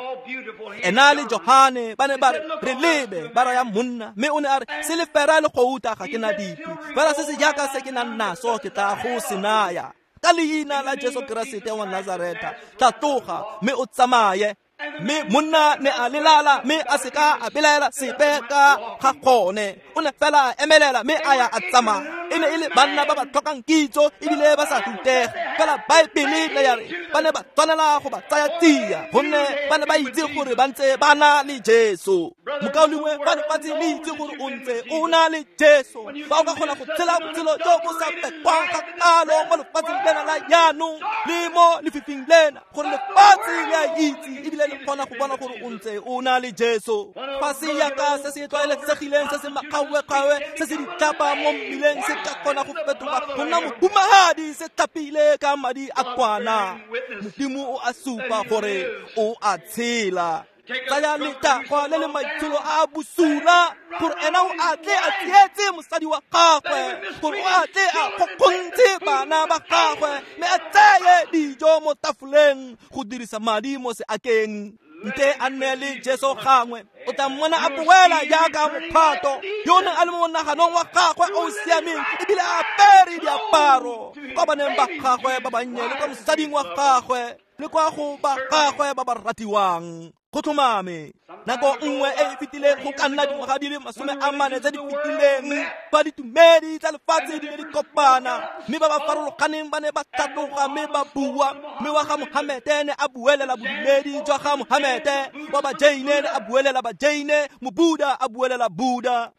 Ena le Johane ba ne ba re, re lebe, ba raya monna, mme o ne a re, silefera le gouta ga ke na dipe, fela se se jaaka se ke nang naso ke tla go se naya. Ka leina la Jesu Keresete wa Nazareta, tla tloga mme o tsamaye. Mme monna ne a lelala mme a se ka a belaela sepe ka ga gone. O ne fela a emelela mme a ya a tsamaya. E ne e le banna ba ba tlhokang kitso ebile ba sa rutega. Fela Baebele ne ya re ba ne ba tshwanela go ba tsaya tsia, gonne ba ne ba itse gore ba ntse ba na le Jesu. Mokaulengwe, fa lefatshe le itse gore o ntse o na le Jesu, fa o ka kgona go tshela botshelo jo bo sa pekwang kgakalo mo lefatsheng lena la jaanong le mo lefifing lena, gore lefatshe le a itse ebile le kgona go bona gore o ntse o na le Jesu. Fa se yaka se se tlwaelesegileng se se makgawe-kgawe se se ditlhapa mo mmileng se ka kgona go fetoga go nna mohumagadi se tlhapile ka madi a kwana, Modimo o a supa gore o a tshela. Tsaya letagwa le le maitsholo a bosula gore ena o a tle a tsietse mosadi wa gagwe, gore o a tle a kgokgontshe bana ba gagwe mme a tseye dijo mo tafoleng go dirisa madi mo seakeng. Nte a nne le Jesu gangwe, o tla mmona a boela jaaka mophato yo neng a le mo monaganong wa gagwe o o siameng ebile a apere diaparo kwa baneng ba gagwe ba bannye le kwa mosading wa gagwe le kwa go ba gagwe ba ba ratiwang. Go tlhomame, nako nngwe e e fetileng, go ka nna dingwaga di le 40 tse di fetileng, fa ditumedi tsa lefatshe di ne di kopana, mme ba ba farologaneng ba ne ba tlhatloga mme ba bua. Mme wa ga Mohamete ne a buelela bodumedi jwa ga Mohamete, wa ba Jaine ne a buelela ba Jaine, Mobuda a buelela Buda.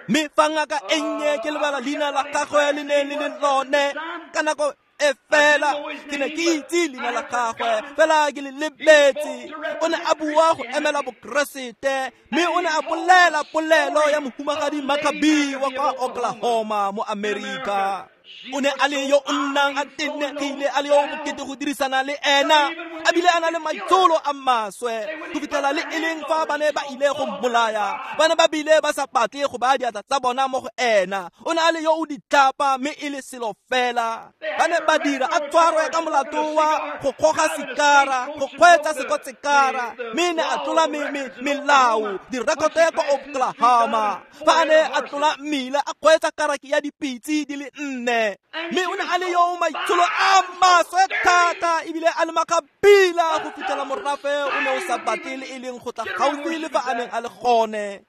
Mme fa ngaka e nnye, ke lebala leina la gagwe le ne le le lone ka nako e fela, ke ne ke itse leina la gagwe fela ke le lebetse. O ne a bua go emela Bokeresete, mme o ne a bolela polelo ya mohumagadi Maccabi wa kwa Oklahoma mo Amerika. O ne a le yo o nnang a tenegile, a le yo bokete go dirisana le ena, a bile a na le maitsholo a maswe go fitlhela le e leng fa ba ne ba ile go mmolaya, ba ne ba bile ba sa batle go baya diatla tsa bona mo go ena. O ne a le yo o ditlhapa mme e le selo fela. Ba ne ba dira a tshwarwe ka molato wa go goga sikara, go kgweetsa sekotsekara, mme ne a tlola melao, direkoto kwa Oklahoma. Fa a ne a tlola mmila a kgweetsa karaki ya dipitse di le 4. Mme o ne a le yo maitsholo a maswe thata ebile a le makgabila go fitlhela morafe o ne o sa batle le e leng go tla gaufi le fa a neng a le gone.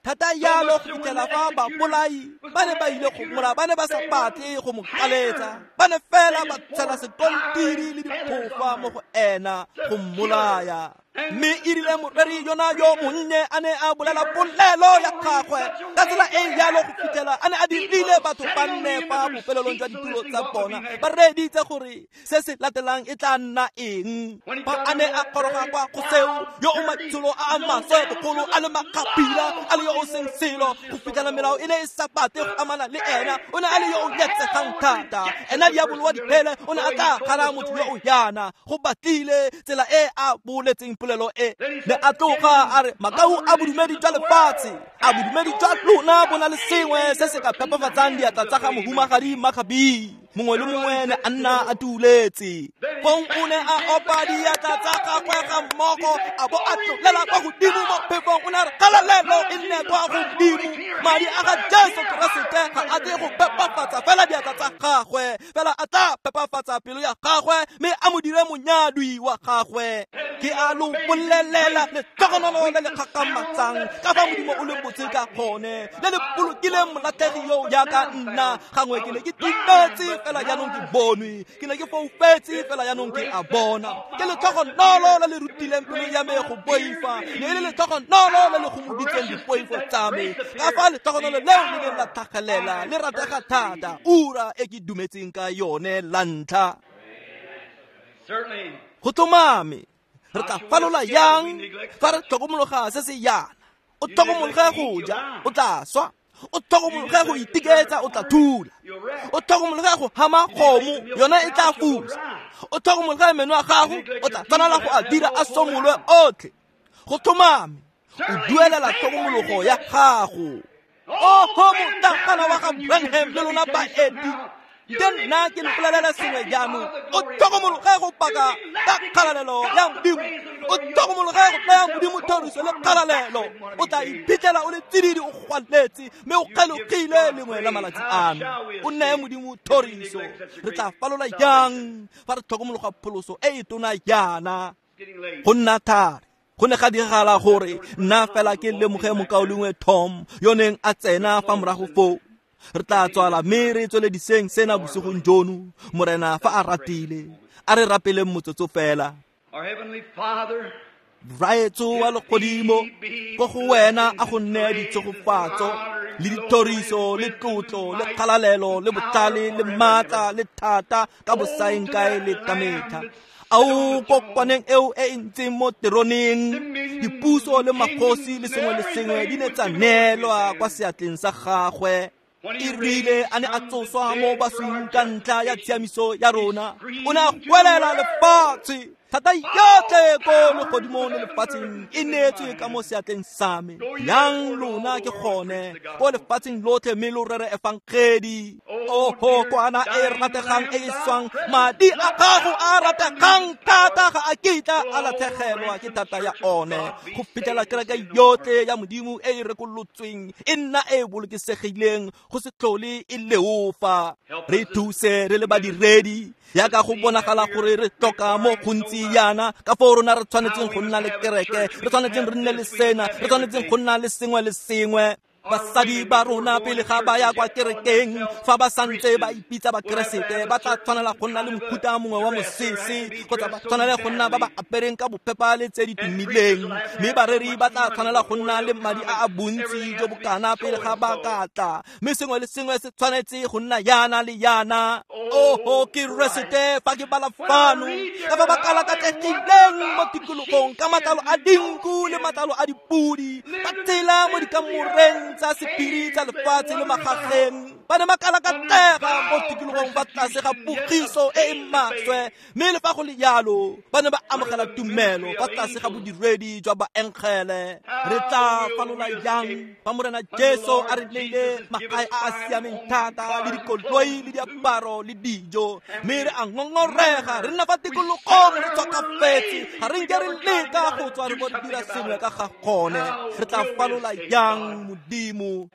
Thata yalo go fitlhela fa babolai ba ne ba ile go mmolaya, ba ne ba sa batle go mo kaletsa, ba ne fela ba tshela sekontiri le diphofa mo go ena go mmolaya. Mme e rile moreri yona yo monnye a ne a bolela polelo ya gagwe ka tsela e jalo go fitlhela a ne a dirile batho ba nne fa bofelelong jwa ditulo tsa bona ba reeditse gore se se latelang e tla nna eng. Fa a ne a goroga kwa go seo, yo o maitsholo a a maswe bogolo a le makgapila a le yo o seng selo go fitlhela melao e ne e sa batle go amana le ena, o ne a le yo o nyatsegang thata. Ena diabolo wa diphele o ne a tla gana motho yo o yana go batlile tsela e a boletseng polelo e. Ne a tloga a re, makau a bodumedi jwa lefatshe, a bodumedi jwa lona bo na le sengwe se se ka phepafatsang diatla tsa ga mohumagadi Maccabi. Mongwe le mongwe ne a nna a tuletse. Fong o ne a opa diatla tsa gagwe ga mmogo, a bo a tlolela kwa godimo mo phefong. O ne a re, kgalalelo e nne kwa godimo, madi a ga Jesu Keresete ga a tle go phepafatsa fela diatla tsa gagwe, fela a tla phepafatsa pelo ya gagwe mme a mo dire monyadwi wa gagwe. Ke a lo bolelela letlhogonolo le le kgakgamatsang ka fa Modimo o leng botse ka gone, le le bolokileng molatlhegi yo jaaka nna. Gangwe ke ne ke timetse, fela jaanong ke bonwe, ke ne ke foufetse, fela jaanong ke a bona. Ke letlhogonolo le le rutileng pelo ya me go boifa, ne e le letlhogonolo le le gomoditseng dipoifo tsa me. Ka fa letlhogonolo leo le neng la tlhagelela le ratega thata, ura e ke dumetseng ka yone la ntlha. Go tlhomame, re tla falola yang fa re tlhokomologa se se yana? O tlhokomologe go ja, o tla swa. O tlhokomologe go itiketsa, o tla thula. O tlhokomologe go hama kgomo, yona e tla fusa. O tlhokomologe meno a gago, o tla tshwanela go a dira a somolwe otlhe. Go tlhomame, o duelela tlhokomologo ya gago. Oho motlakana wa ga Branham le lona baeti, ke nna ke mpolelela sengwe jaanong. O tlhokomologe go paka ka kgalalelo ya Modimo, o tlhokomologe go naya Modimo thoriso le kgalalelo. O tla iphitlhela o le tsididi, o gwaletse mme o kgelogile lengwe la malatsi ano. O neye Modimo thoriso. Re tla falola jang fa re tlhokomologa pholoso e e tona jaana? Go nna thari. Go ne ga diragala gore nna fela ke lemoge mokaulengwe Tom yo neng a tsena fa morago foo. Re tla tswala mme re tswelediseng sena bosigong jono, Morena fa a ratile. A re rapeleng motsotso fela. Raetso wa legodimo, ko go wena a go nne ditshegofatso le dithoriso le tlotlo le kgalalelo le botlhale le maatla le thata ka bosaeng kae le ka metlha. Ao kokwaneng eo e e ntseng mo teroneng, dipuso le magosi le sengwe le sengwe di ne tsa neelwa kwa seatleng sa gagwe. E rile a ne a tsoswa mo baswing ka ntlha ya tshiamiso ya rona, o ne a gwelela lefatshe. Thata yotlhe ko legodimong le lefatsheng e neetswe ka mo seatleng sa me. Yang lona ke gone ko lefatsheng lotlhe mme lo rere efangedi. Oho kwana e rategang e e swang, madi a gago a rategang thata ga a kitla a latlhegelwa ke thata ya one, go fitlhela kereke yotlhe ya Modimo e e rekolotsweng e nna e bolokesegileng go se tlhole e leofa. Re thuse re le badiredi, yaka go bonagala gore re tlhoka mo gontsi yana ka foo rona re tshwanetseng go nna le kereke, re tshwanetseng re nne le sena, re tshwanetseng go nna le sengwe le sengwe. Basadi ba rona pele ga ba ya kwa kerekeng, fa ba santse ba ipitsa bakeresete, ba tla tshwanela go nna le mofuta mongwe wa mosese, kgotsa ba tshwanele go nna ba ba apereng ka bopepa le tse di tumileng. Mme bareri ba tla tshwanela go nna le madi a a bontsi jo bokana pele ga ba ka tla. Mme sengwe le sengwe se tshwanetse go nna yana le yana. Oho Keresete, fa ke bala fano ka fa ba kalakatlegileng mo tikologong ka matlalo a dinku le matlalo a dipudi, ba tshela mo dikamoreng tsa sephiri tsa lefatshe le magageng. Ba ne ba kalakatlega mo tikologong fa tlase ga pogiso e e maswe, mme le fa go le jalo ba ne ba amogela tumelo fa tlase ga bodiredi jwa baengele. Re tla falola jang fa Morena Jesu a re neile magae a a siameng thata le dikoloi le diaparo le dijo, mme re a ngongorega, re nna fa tikologong re tshwakafetse, ga re nke re leka go tswa re bo re dira sengwe ka ga gone. Re tla falola jang, Modimo?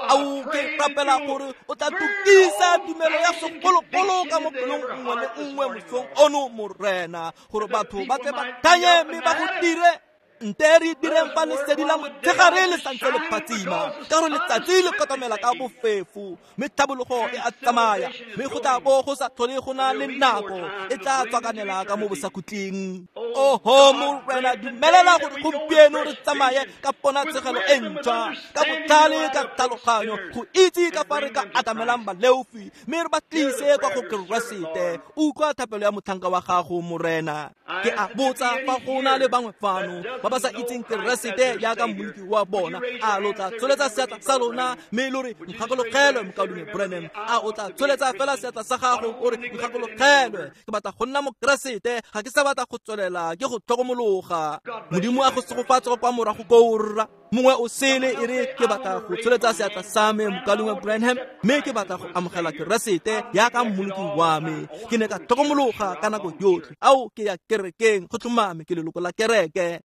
Ao ke rapela gore o tla tukisa tumelo ya segologolo ka mo pelong nngwe le nngwe mosong ono, Morena, gore batho ba tle ba thanye mme ba go dire. Nte re direng fa lesedi la motshegare le santse le phatsima, ka gore letsatsi le kotamela ka bofefo, mme tlhabologo e a tsamaya, mme go tla bo go sa tlhole go na le nako e tla tswakanela ka mo bosakhutleng. Oho Morena, dumelela gore gompieno re tsamaye ka ponatshegelo e ntšhwa, ka botlhale, ka tlhaloganyo, go itse ka fa re ka atamelang baleofi mme re ba tlise kwa go Keresete. Utlwa thapelo ya motlhanka wa gago, Morena. Ke a botsa fa go na le bangwe fano ba ba sa itseng Keresete jaaka mmoloki wa bona, a lo tla tsholetsa seatla sa lona mme lo re, nkgakologelwe mokaulengwe Branham? A o tla tsholetsa fela seatla sa gago o re, nkgakologelwe, ke batla go nna mokeresete, ga ke sa batla go tswelela ke go tlhokomologa. Modimo a go segofatse kwa morago koo, rra. Mongwe o sele e re, ke batla go tsholetsa seatla sa me, mokaulengwe Branham, mme ke batla go amogela Keresete jaaka mmoloki wa me. Ke ne ka tlhokomologa ka nako yotlhe. Ao, ke ya kerekeng, go tlhomame ke leloko la kereke.